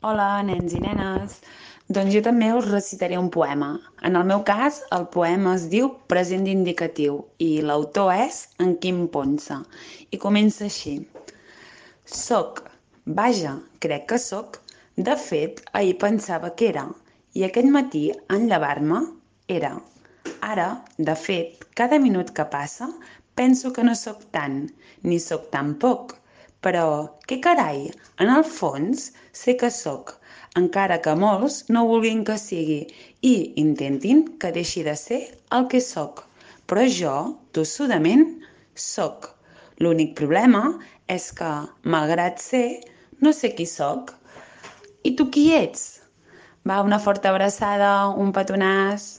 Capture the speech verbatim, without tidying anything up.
Hola, nens i nenes. Doncs jo també us recitaré un poema. En el meu cas, el poema es diu Present indicatiu i l'autor és en Quim Ponsa. I comença així. Soc. Vaja, crec que soc. De fet, ahir pensava que era. I aquest matí, en llevar-me, era. Ara, de fet, cada minut que passa, penso que no sóc tant, ni sóc tan poc. Però, què carai, en el fons sé que sóc, encara que molts no vulguin que sigui i intentin que deixi de ser el que sóc. Però jo, tossudament, sóc. L'únic problema és que, malgrat ser, no sé qui sóc. I tu qui ets? Va, una forta abraçada, un petonàs.